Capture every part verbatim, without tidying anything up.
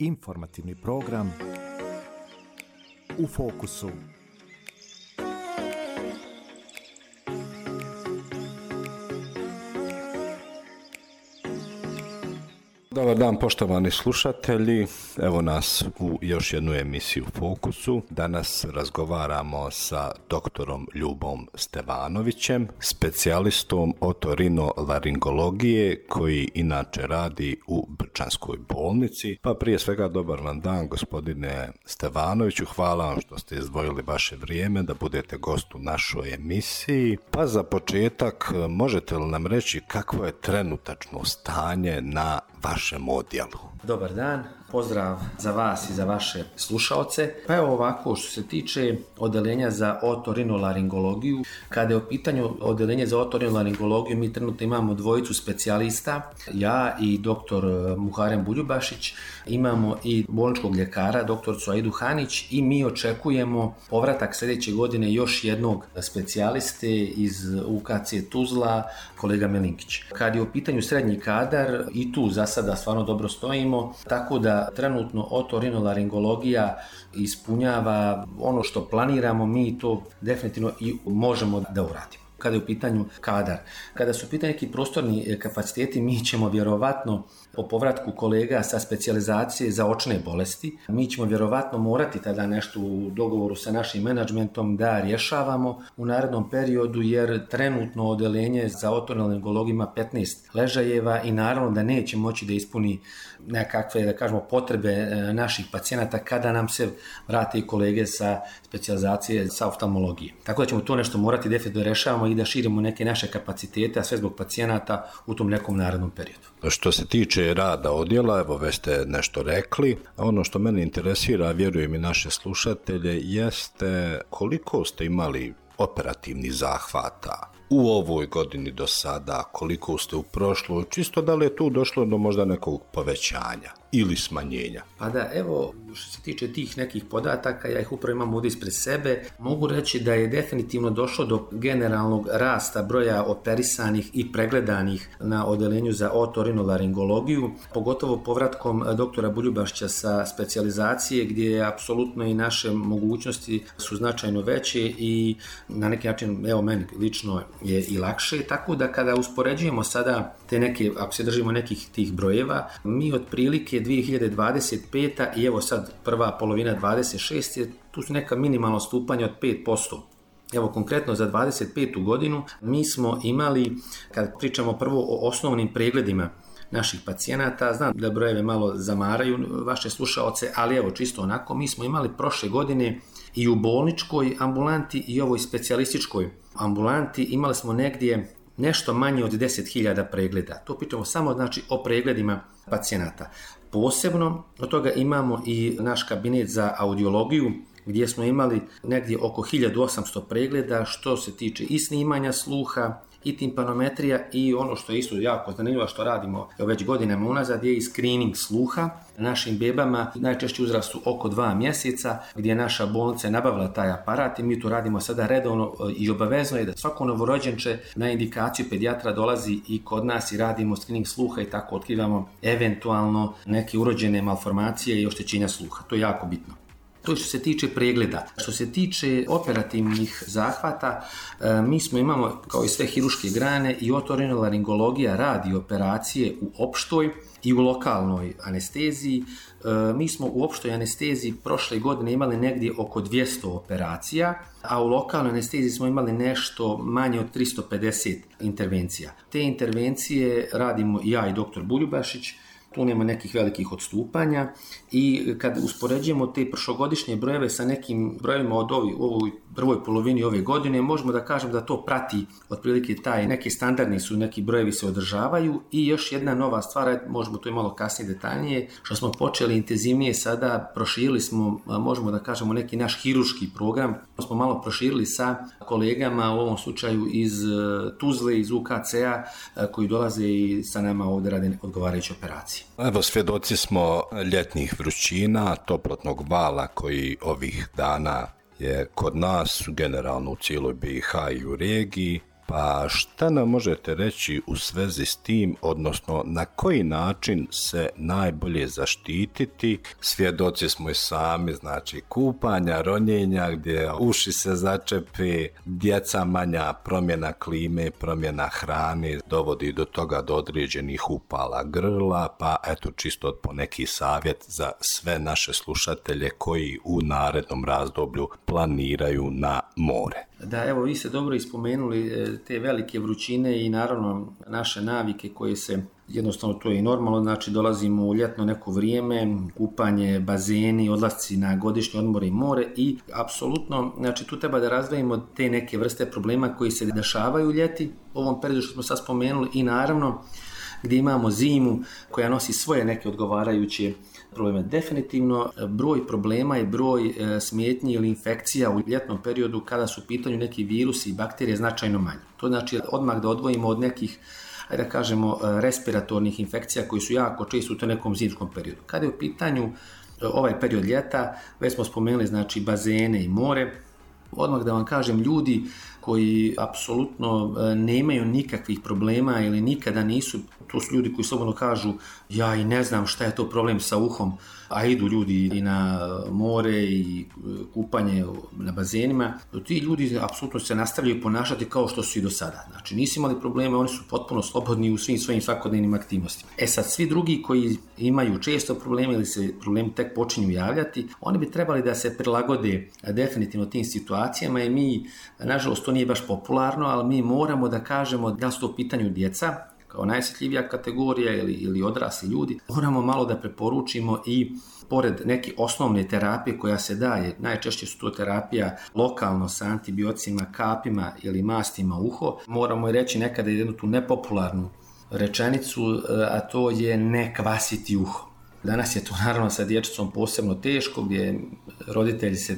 Informativni program U fokusu. Dobar dan poštovani slušatelji, evo nas u još jednu emisiju U fokusu. Danas razgovaramo sa doktorom Ljubom Stevanovićem, specijalistom otorinolaringologije koji inače radi u Brčanskoj bolnici. Pa prije svega dobar vam dan gospodine Stevanoviću, hvala vam što ste izdvojili vaše vrijeme da budete gost u našoj emisiji. Pa za početak možete li nam reći kakvo je trenutačno stanje na vašem odjelu? Dobar dan, pozdrav za vas i za vaše slušaoce. Pa evo ovako, što se tiče odeljenja za otorinolaringologiju, kada je u pitanju odeljenje za otorinolaringologiju, mi trenutno imamo dvojicu specijalista, ja i doktor Muharem Buljubašić, imamo i bolničkog ljekara, doktorcu Aidu Hanić, i mi očekujemo povratak sljedeće godine još jednog specijaliste iz U K C Tuzla, kolega Melinkić. Kad je u pitanju srednji kadar, i tu za sada stvarno dobro stojimo, tako da trenutno otorinolaringologija ispunjava ono što planiramo, mi to definitivno i možemo da uradimo. Kada je u pitanju kadar, kada su u pitanju neki prostorni kapaciteti, mi ćemo vjerovatno po povratku kolega sa specijalizacije za očne bolesti, mi ćemo vjerovatno morati tada nešto u dogovoru sa našim menadžmentom da rješavamo u narednom periodu, jer trenutno odeljenje za otorinolaringologiju ima petnaest ležajeva i naravno da neće moći da ispuni nekakve, da kažemo, potrebe naših pacijenata kada nam se vrate i kolege sa specijalizacije sa oftalmologije. Tako da ćemo to nešto morati definitivno da rješavamo i da širimo neke naše kapacitete, a sve zbog pacijenata u tom nekom narednom periodu. Što se tiče rada odjela, evo već ste nešto rekli. Ono što mene interesira, vjerujem i naše slušatelje, jeste koliko ste imali operativnih zahvata u ovoj godini do sada, koliko ste u prošloj, čisto da li je tu došlo do možda nekog povećanja ili smanjenja? Pa da, evo, što se tiče tih nekih podataka, ja ih upravo imam ovdje ispred sebe, mogu reći da je definitivno došlo do generalnog rasta broja operisanih i pregledanih na odeljenju za otorinolaringologiju, pogotovo povratkom doktora Buljubašića sa specijalizacije, gdje je apsolutno i naše mogućnosti su značajno veće i na neki način, evo meni lično je i lakše, tako da kada uspoređujemo sada te neke, ako se držimo nekih tih brojeva, mi otprilike dvije hiljade dvadeset peta i evo sad prva polovina dvadeset šeste tu su neka minimalno stupanja od pet posto. Evo konkretno za dvadeset petu godinu mi smo imali, kad pričamo prvo o osnovnim pregledima naših pacijenata, znam da brojeve malo zamaraju vaše slušaoce, ali evo čisto onako, mi smo imali prošle godine i u bolničkoj ambulanti i ovoj specijalističkoj ambulanti imali smo negdje nešto manje od deset hiljada pregleda. To pričamo samo znači o pregledima pacijenata. Posebno od toga imamo i naš kabinet za audiologiju, gdje smo imali negdje oko hiljadu osamsto pregleda što se tiče i snimanja sluha, i timpanometrija, i ono što je isto jako zanimljivo što radimo već godinama unazad je i screening sluha našim bebama, najčešće uzrastu oko dva mjeseca, gdje naša bolnica je nabavila taj aparat i mi to radimo sada redovno i obavezno je da svako novorođenče na indikaciju pedijatra dolazi i kod nas i radimo screening sluha i tako otkrivamo eventualno neke urođene malformacije i oštećenja sluha. To je jako bitno. To je što se tiče pregleda. Što se tiče operativnih zahvata, mi smo imamo, kao i sve hiruške grane, i otorinolaringologija radi operacije u opštoj i u lokalnoj anesteziji. Mi smo u opštoj anesteziji prošle godine imali negdje oko dvjesto operacija, a u lokalnoj anesteziji smo imali nešto manje od tristo pedeset intervencija. Te intervencije radimo ja i doktor Buljubašić, tu nema nekih velikih odstupanja i kad uspoređujemo te prošlogodišnje brojeve sa nekim brojevima od ovi, u ovoj prvoj polovini ove godine, možemo da kažem da to prati otprilike taj, neki standardni su, neki brojevi se održavaju. I još jedna nova stvar, možemo to i malo kasnije detaljnije, što smo počeli intenzivnije sada, proširili smo, možemo da kažemo, neki naš hiruški program, smo malo proširili sa kolegama, u ovom slučaju iz Tuzle, iz U K C-a, koji dolaze i sa nama ovdje rade odgovarajuće operacije. Evo, svjedoci smo ljetnih vrućina, toplotnog vala koji ovih dana je kod nas, generalno u cijeloj B i H i u regiji. Pa šta nam možete reći u svezi s tim, odnosno na koji način se najbolje zaštititi? Svjedoci smo i sami, znači kupanja, ronjenja gdje uši se začepi, djeca manja, promjena klime, promjena hrane dovodi do toga do određenih upala grla, pa eto čisto po neki savjet za sve naše slušatelje koji u narednom razdoblju planiraju na more. Da, evo vi ste dobro ispomenuli te velike vrućine i naravno naše navike koje se, jednostavno to je i normalno, znači dolazimo u ljetno neko vrijeme, kupanje, bazeni, odlasci na godišnje odmore i more i apsolutno, znači tu treba da razdvojimo te neke vrste problema koji se dešavaju u ljeti, u ovom periodu što smo sad spomenuli i naravno gdje imamo zimu koja nosi svoje neke odgovarajuće probleme. Definitivno broj problema i broj smetnji ili infekcija u ljetnom periodu kada su u pitanju neki virusi i bakterije značajno manji. To znači odmah da odvojimo od nekih, ajde da kažemo, respiratornih infekcija koji su jako često u tom nekom zimskom periodu. Kada je u pitanju ovaj period ljeta, već smo spomenuli znači bazene i more, odmah da vam kažem, ljudi koji apsolutno nemaju nikakvih problema ili nikada nisu, to su ljudi koji slobodno kažu ja i ne znam šta je to problem sa uhom, a idu ljudi i na more i kupanje na bazenima, ti ljudi apsolutno se nastavljaju ponašati kao što su i do sada. Znači nisu imali probleme, oni su potpuno slobodni u svim svojim svakodnevnim aktivnostima. E sad, svi drugi koji imaju često probleme ili se problemi tek počinju javljati, oni bi trebali da se prilagode definitivno tim situacijama i mi, nažalost, to nije baš popularno, ali mi moramo da kažemo da su to u pitanju djeca, kao najosjetljivija kategorija ili, ili odrasli ljudi, moramo malo da preporučimo i pored neke osnovne terapije koja se daje, najčešće su to terapija lokalno sa antibiocima, kapima ili mastima u uho, moramo i reći nekada jednu tu nepopularnu rečenicu, a to je ne kvasiti uho. Danas je to naravno sa dječicom posebno teško, gdje roditelji se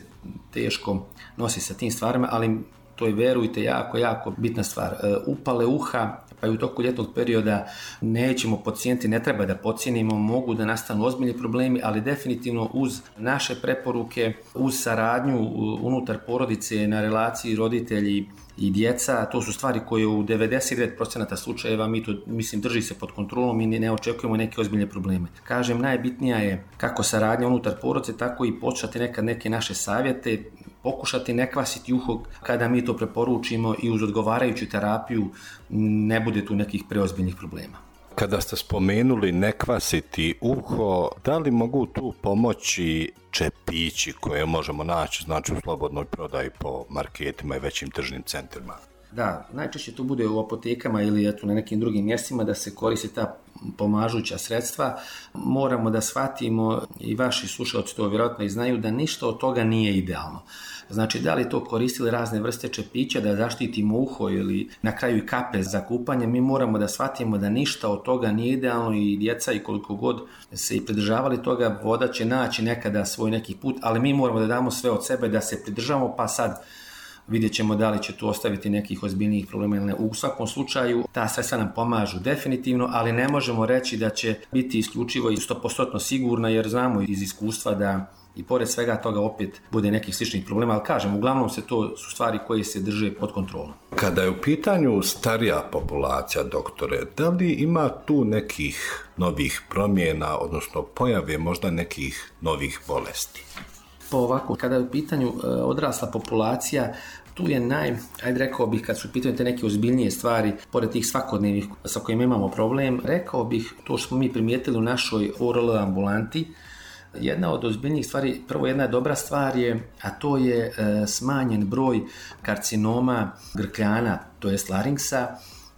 teško nosi sa tim stvarima, ali to je, verujte, jako, jako bitna stvar. Upale uha, pa i u toku ljetnog perioda nećemo podcijeniti, ne treba da podcijenimo, mogu da nastanu ozbiljni problemi, ali definitivno uz naše preporuke, uz saradnju unutar porodice na relaciji roditelji i djeca, to su stvari koje u devedeset devet posto slučajeva mi to, mislim, drži se pod kontrolom i ne očekujemo neke ozbiljne probleme. Kažem, najbitnija je kako saradnja unutar porodice, tako i početi nekad neke naše savjete, pokušati ne kvasiti uho kada mi to preporučimo i uz odgovarajuću terapiju ne bude tu nekih preozbiljnih problema. Kada ste spomenuli ne kvasiti uho, da li mogu tu pomoći čepići koje možemo naći, znači u slobodnoj prodaji po marketima i većim tržnim centrima? Da, najčešće to bude u apotekama ili eto na nekim drugim mjestima da se koriste ta pomažuća sredstva. Moramo da shvatimo, i vaši slušalci to vjerojatno i znaju, da ništa od toga nije idealno. Znači, da li to koristili razne vrste čepića da zaštitimo uho ili na kraju i kape za kupanje, mi moramo da shvatimo da ništa od toga nije idealno i djeca i koliko god se i pridržavali toga, voda će naći nekada svoj neki put, ali mi moramo da damo sve od sebe da se pridržavamo, pa sad vidjet ćemo da li će tu ostaviti nekih ozbiljnijih problema ili ne. U svakom slučaju, ta sredstva nam pomažu definitivno, ali ne možemo reći da će biti isključivo i sto posto sigurna, jer znamo iz iskustva da i pored svega toga opet bude nekih sličnih problema, ali kažem, uglavnom se to su stvari koje se drže pod kontrolom. Kada je u pitanju starija populacija, doktore, da li ima tu nekih novih promjena, odnosno pojave možda nekih novih bolesti? Pa ovako, kada je u pitanju odrasla populacija, tu je naj, ajde rekao bih, kad su u pitanju te neke ozbiljnije stvari, pored tih svakodnevnih sa kojima imamo problem, rekao bih to što smo mi primijetili u našoj O R L ambulanti, jedna od ozbiljnijih stvari, prvo jedna dobra stvar je, a to je e, smanjen broj karcinoma grkljana, to jest laringsa.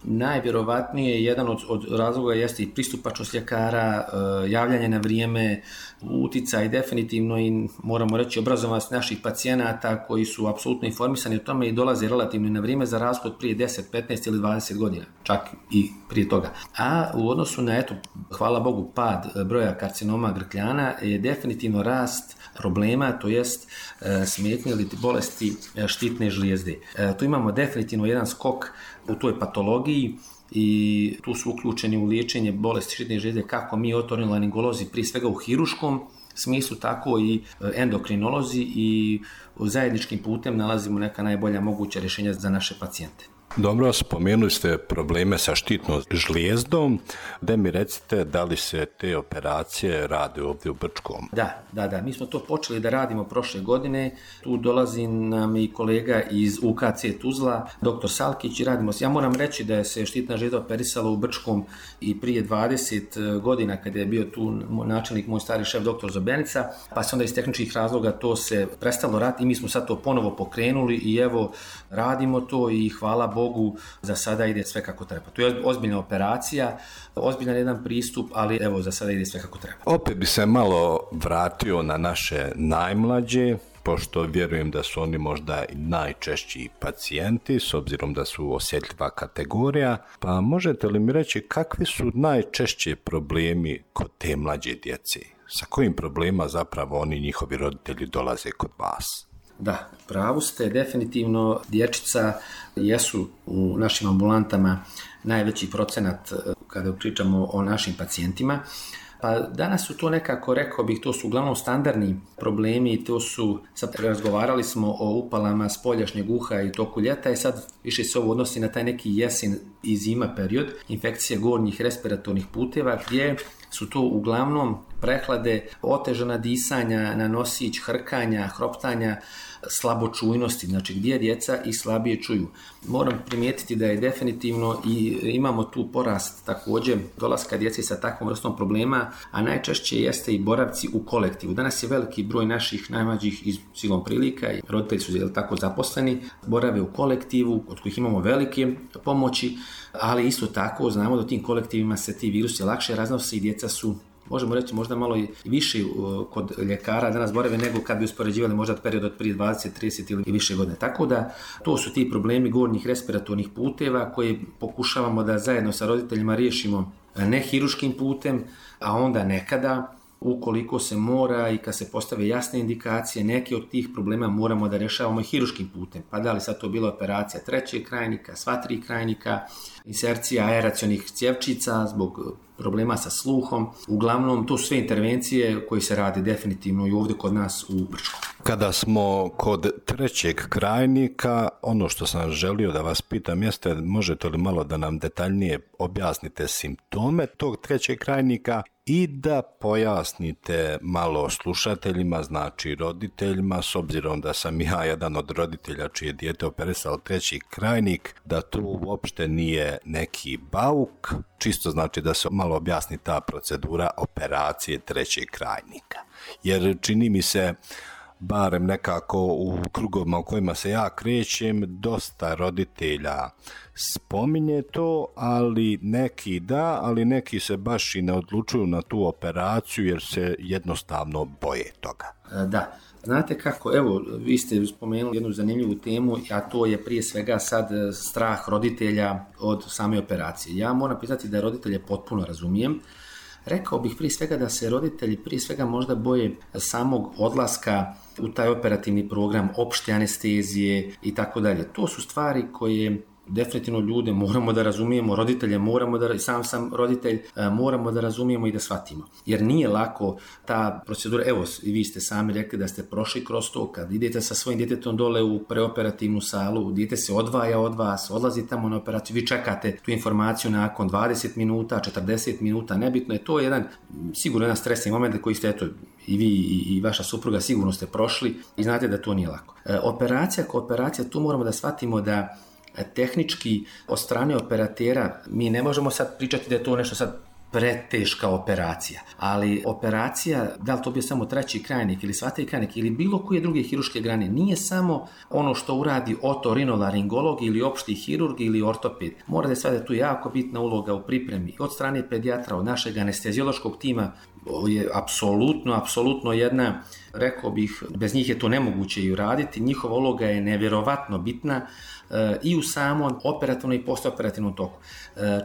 Najvjerovatnije jedan od, od razloga jeste i pristupačnost ljekara, e, javljanje na vrijeme, uticaj definitivno i moramo reći obrazovanost naših pacijenata koji su apsolutno informisani o tome i dolaze relativno na vrijeme za razliku od prije deset, petnaest ili dvadeset godina, čak i prije toga. A u odnosu na, eto, hvala Bogu, pad broja karcinoma grkljana je definitivno rast problema, to jest e, smetnje ili bolesti štitne žlijezde. E, tu imamo definitivno jedan skok u toj patologiji i tu su uključeni u liječenje bolesti štitne žlijezde kako mi otorinolaringolozi, prije svega u hiruškom smislu, tako i endokrinolozi, i zajedničkim putem nalazimo neka najbolja moguća rješenja za naše pacijente. Dobro, spomenuli ste probleme sa štitnom žlijezdom, da mi recite da li se te operacije rade ovdje u Brčkom? Da, da, da, mi smo to počeli da radimo prošle godine, tu dolazi nam i kolega iz U K C Tuzla, doktor Salkić, i radimo se. Ja moram reći da je se štitna žlijezda operisala u Brčkom i prije dvadeset godina kada je bio tu načelnik, moj stari šef, doktor Zobenica, pa se onda iz tehničkih razloga to se prestalo raditi i mi smo sad to ponovo pokrenuli i evo radimo to i hvala Bogu, za sada ide sve kako treba. To je ozbiljna operacija, ozbiljan jedan pristup, ali evo za sada ide sve kako treba. Opet bi se malo vratio na naše najmlađe, pošto vjerujem da su oni možda i najčešći pacijenti, s obzirom da su osjetljiva kategorija, pa možete li mi reći kakvi su najčešći problemi kod te mlađe djece? Sa kojim problema zapravo oni, njihovi roditelji, dolaze kod vas? Da, pravu ste, definitivno dječica jesu u našim ambulantama najveći procenat kada pričamo o našim pacijentima. Pa danas su to nekako, rekao bih, to su uglavnom standardni problemi i to su, sad razgovarali smo o upalama spoljašnjeg uha i toku ljeta i sad više se ovo odnosi na taj neki jesen i zima period, infekcije gornjih respiratornih puteva gdje su to uglavnom prehlade, otežana disanja na nosić, hrkanja, hroptanja, slabočujnosti, znači gdje djeca i slabije čuju. Moram primijetiti da je definitivno i imamo tu porast također dolaska djece sa takvom vrstom problema, a najčešće jeste i boravci u kolektivu. Danas je veliki broj naših najmlađih iz silom prilika i roditelji su jel, tako zaposleni, borave u kolektivu, od kojih imamo velike pomoći, ali isto tako znamo da u tim kolektivima se ti virusi lakše raznose i djeca su, možemo reći, možda malo i više kod ljekara danas borave nego kad bi uspoređivali možda period od prije dvadeset, trideset ili više godine. Tako da to su ti problemi gornjih respiratornih puteva koje pokušavamo da zajedno sa roditeljima riješimo ne hiruškim putem, a onda nekada ukoliko se mora i kad se postave jasne indikacije, neki od tih problema moramo da rješavamo i hiruškim putem. Pa da li sad to bila operacija trećeg krajnika, sva tri krajnika, insercija aeracionih cjevčica zbog problema sa sluhom. Uglavnom, to su sve intervencije koje se rade definitivno i ovdje kod nas u Brčkom. Kada smo kod trećeg krajnika, ono što sam želio da vas pitam jeste, možete li malo da nam detaljnije objasnite simptome tog trećeg krajnika i da pojasnite malo slušateljima, znači roditeljima, s obzirom da sam ja jedan od roditelja čije dijete operisalo treći krajnik, da to uopšte nije neki bauk, čisto znači da se malo objasni ta procedura operacije trećeg krajnika. Jer čini mi se, barem nekako u krugovima u kojima se ja krećem, dosta roditelja spominje to, ali neki da, ali neki se baš i ne odlučuju na tu operaciju jer se jednostavno boje toga. Da, znate kako, evo, vi ste spomenuli jednu zanimljivu temu, a to je prije svega sad strah roditelja od same operacije. Ja moram priznati da roditelje potpuno razumijem. Rekao bih prije svega da se roditelji prije svega možda boje samog odlaska u taj operativni program, opšte anestezije i tako dalje. To su stvari koje definitivno ljude moramo da razumijemo, roditelje moramo da, sam sam roditelj, moramo da razumijemo i da shvatimo. Jer nije lako ta procedura, evo i vi ste sami rekli da ste prošli kroz to, kad idete sa svojim djetetom dole u preoperativnu salu, dijete se odvaja od vas, odlazi tamo na operaciju, vi čekate tu informaciju nakon dvadeset minuta, četrdeset minuta, nebitno je, to jedan sigurno jedan stresni moment koji ste, eto, i vi i vaša supruga sigurno ste prošli i znate da to nije lako. Operacija ko operacija, tu moramo da shvatimo da tehnički od strane operatera mi ne možemo sad pričati da je to nešto sad preteška operacija, ali operacija, da li to bio samo treći krajnik ili sva tri krajnik ili bilo koje druge hiruške grane, nije samo ono što uradi otorinolaringolog ili opšti hirurg ili ortoped. Mora da je sada tu jako bitna uloga u pripremi od strane pedijatra, od našeg anesteziološkog tima, je apsolutno, apsolutno jedna, rekao bih, bez njih je to nemoguće i uraditi, njihova uloga je nevjerovatno bitna i u samom operativnom i postoperativnom toku.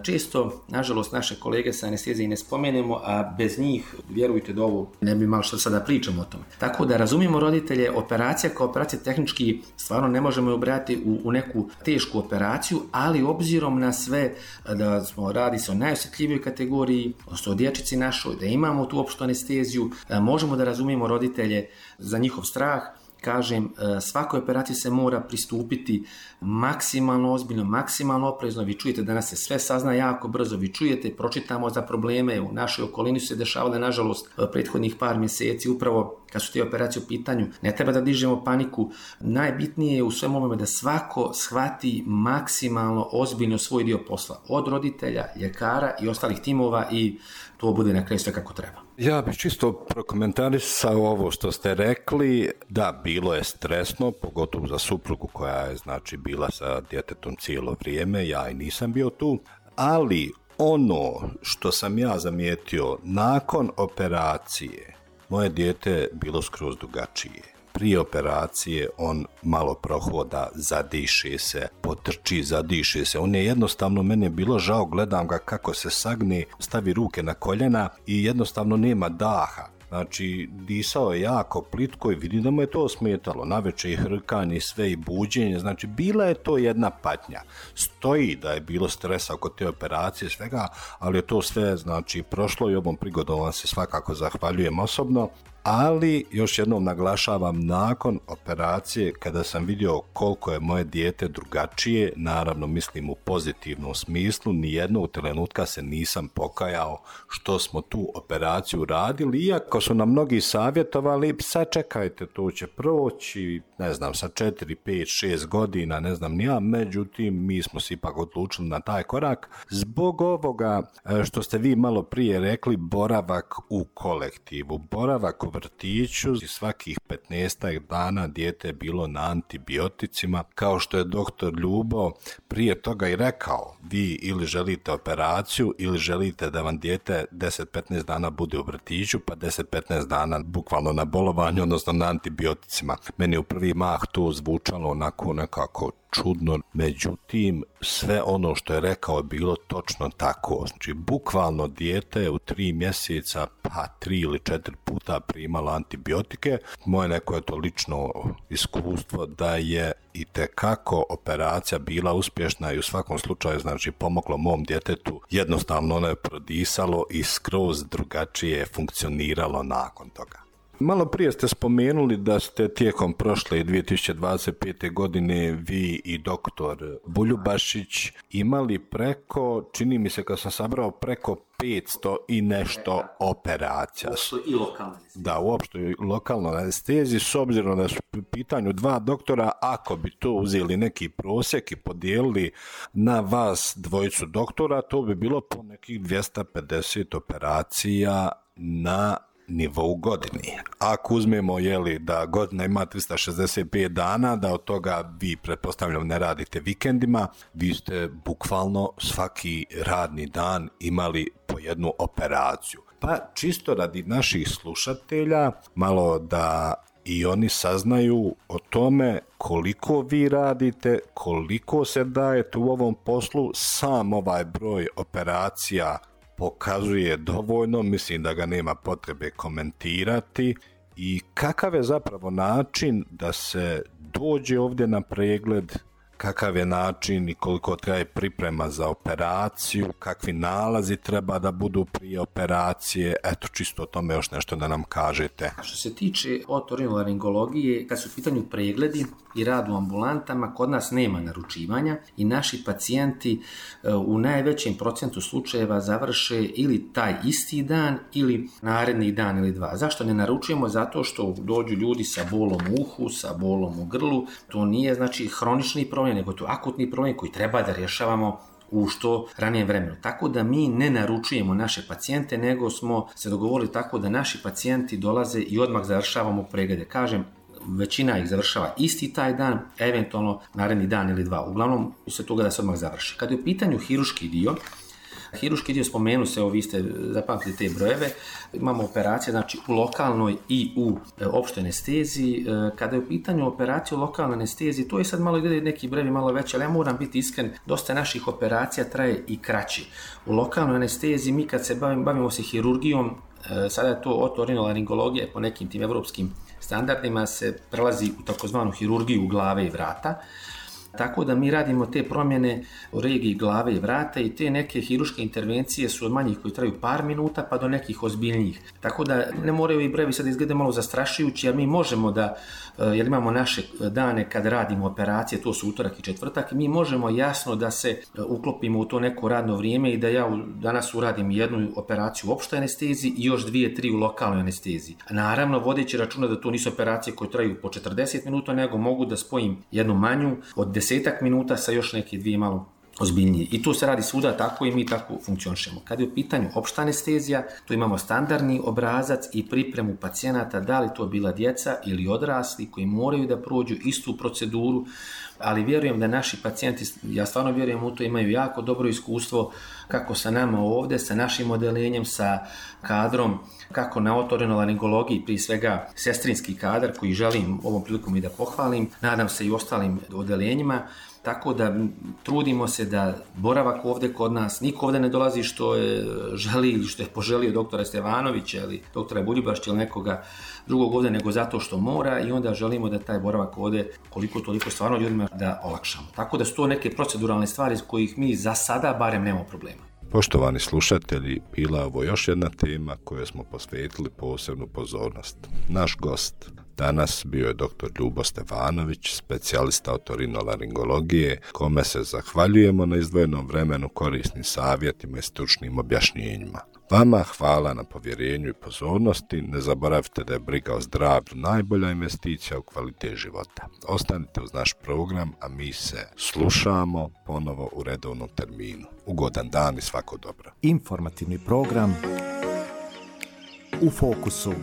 Često, nažalost, naše kolege sa anestezije ne spomenemo, a bez njih, vjerujte da ovo ne bi malo što sada pričamo o tome. Tako da razumijemo roditelje, operacija kao operacija tehnički stvarno ne možemo je ubrati u, u neku tešku operaciju, ali obzirom na sve da smo radi se o najosjetljivijoj kategoriji, odnosno o dječici našoj, da imamo tu opštu anesteziju, možemo da razumijemo roditelje za njihov strah, kažem, svakoj operaciji se mora pristupiti maksimalno ozbiljno, maksimalno oprezno. Vi čujete danas se sve sazna jako brzo, vi čujete, pročitamo za probleme, u našoj okolini su se dešavale, nažalost, prethodnih par mjeseci, upravo kad su te operacije u pitanju. Ne treba da dižemo paniku, najbitnije je u svem ovome da svako shvati maksimalno ozbiljno svoj dio posla, od roditelja, ljekara i ostalih timova, i to bude na kraju sve kako treba. Ja bih čisto prokomentarisao ovo što ste rekli. Da, bilo je stresno, pogotovo za suprugu koja je znači bila sa djetetom cijelo vrijeme, ja i nisam bio tu, ali ono što sam ja zamijetio, nakon operacije moje dijete bilo skroz drugačije. Prije operacije on malo prohoda, zadiše se, potrči, zadiše se. On je jednostavno, meni je bilo žao, gledam ga kako se sagne, stavi ruke na koljena i jednostavno nema daha. Znači, disao je jako plitko i vidim da mu je to smetalo. Navečer i hrkanje, sve i buđenje. Znači, bila je to jedna patnja. Stoji da je bilo stresa oko te operacije, svega, ali je to sve, znači, prošlo i ovom prigodom vam se svakako zahvaljujem osobno. Ali, još jednom naglašavam, nakon operacije, kada sam vidio koliko je moje dijete drugačije, naravno mislim u pozitivnom smislu, nijednog trenutka se nisam pokajao što smo tu operaciju radili, iako su nam mnogi savjetovali, sačekajte, to će proći, ne znam, sa četiri, pet, šest godina, ne znam ni ja, međutim, mi smo se ipak odlučili na taj korak, zbog ovoga što ste vi malo prije rekli, boravak u kolektivu, boravak u vrtiću, svakih petnaestak dana dijete je bilo na antibioticima, kao što je doktor Ljubo prije toga i rekao, vi ili želite operaciju ili želite da vam dijete deset do petnaest dana bude u vrtiću, pa deset do petnaest dana bukvalno na bolovanju, odnosno na antibioticima. Meni u prvi mah to zvučalo onako nekako čudno, međutim sve ono što je rekao je bilo točno tako. Znači, bukvalno dijete u tri mjeseca pa tri ili četiri puta primalo antibiotike. Moje neko je to lično iskustvo da je itekako operacija bila uspješna i u svakom slučaju znači pomoglo mom djetetu. Jednostavno ono je prodisalo i skroz drugačije funkcioniralo nakon toga. Malo prije ste spomenuli da ste tijekom prošle dvije tisuće dvadeset pete. godine vi i doktor Buljubašić imali preko, čini mi se kad sam sabrao, preko petsto i nešto operacija. Uopšte i lokalne. Da, uopšte i lokalnoj anesteziji, s obzirom da su u pitanju dva doktora, ako bi to uzeli neki prosjek i podijelili na vas dvojicu doktora, to bi bilo po nekih dvjesto pedeset operacija na nivou godini. Ako uzmemo jeli, da godina ima tristo šezdeset pet dana, da od toga vi pretpostavljam ne radite vikendima, vi ste bukvalno svaki radni dan imali po jednu operaciju. Pa čisto radi naših slušatelja, malo da i oni saznaju o tome koliko vi radite, koliko se dajete u ovom poslu, sam ovaj broj operacija pokazuje dovoljno, mislim da ga nema potrebe komentirati. I kakav je zapravo način da se dođe ovdje na pregled, kakav je način i koliko traje priprema za operaciju, kakvi nalazi treba da budu prije operacije, eto čisto o tome još nešto da nam kažete. Što se tiče otorinolaringologije, kad su u pitanju pregledi i rad u ambulantama, kod nas nema naručivanja i naši pacijenti u najvećem procentu slučajeva završe ili taj isti dan ili naredni dan ili dva. Zašto ne naručujemo? Zato što dođu ljudi sa bolom u uhu, sa bolom u grlu, to nije znači hronični problem, nego to akutni problem koji treba da rješavamo u što ranijem vremenu. Tako da mi ne naručujemo naše pacijente, nego smo se dogovorili tako da naši pacijenti dolaze i odmah završavamo preglede. Kažem, većina ih završava isti taj dan, eventualno naredni dan ili dva. Uglavnom se toga da se odmah završi. Kad je u pitanju hiruški dio, Hiruški dio spomenu se, vi ste zapamtili te brojeve, imamo operacije znači u lokalnoj i u e, opštoj anesteziji. E, kada je u pitanju operacije u lokalnoj anesteziji, to je sad malo gdje neki brevi malo veći, ali ja moram biti iskren, dosta naših operacija traje i kraći. U lokalnoj anesteziji mi kad se bavimo, bavimo se hirurgijom, e, sada je to otorinolaringologija po nekim tim evropskim standardima se prelazi u takozvanu hirurgiju glave i vrata. Tako da mi radimo te promjene u regiji glave i vrata i te neke hiruške intervencije su od manjih koji traju par minuta pa do nekih ozbiljnijih. Tako da ne moraju i brevi sad izgleda malo zastrašujući, a mi možemo da, jer imamo naše dane kad radimo operacije, to su utorak i četvrtak, mi možemo jasno da se uklopimo u to neko radno vrijeme i da ja danas uradim jednu operaciju u opštoj anesteziji i još dvije, tri u lokalnoj anesteziji. Naravno, vodeći računa da to nisu operacije koje traju po četrdeset minuta, nego mogu da spojim jednu manju od desetak minuta sa još neke dvije malo ozbiljnije. I to se radi svuda tako i mi tako funkcionišemo. Kad je u pitanju opšta anestezija, tu imamo standardni obrazac i pripremu pacijenata, da li to bila djeca ili odrasli koji moraju da prođu istu proceduru, ali vjerujem da naši pacijenti, ja stvarno vjerujem u to, imaju jako dobro iskustvo kako sa nama ovdje, sa našim odelenjem, sa kadrom, kako na otorinolaringologiji, prije svega sestrinski kadar koji želim ovom prilikom i da pohvalim, nadam se i ostalim odelenjima. Tako da trudimo se da boravak ovdje kod nas, niko ovdje ne dolazi što je želi ili što je poželio doktora Stevanovića ili doktora Buljubašća ili nekoga drugog ovdje, nego zato što mora i onda želimo da taj boravak ovdje koliko toliko stvarno ljudima da olakšamo. Tako da su to neke proceduralne stvari s kojih mi za sada barem nemamo problema. Poštovani slušatelji, bila je ovo još jedna tema kojoj smo posvetili posebnu pozornost. Naš gost danas bio je doktor Ljubo Stevanović, specijalista otorinolaringologije, kome se zahvaljujemo na izdvojenom vremenu, korisnim savjetima i stručnim objašnjenjima. Vama hvala na povjerenju i pozornosti. Ne zaboravite da je briga o zdravlju najbolja investicija u kvalitet života. Ostanite uz naš program, a mi se slušamo ponovo u redovnom terminu. Ugodan dan i svako dobro. Informativni program U fokusu.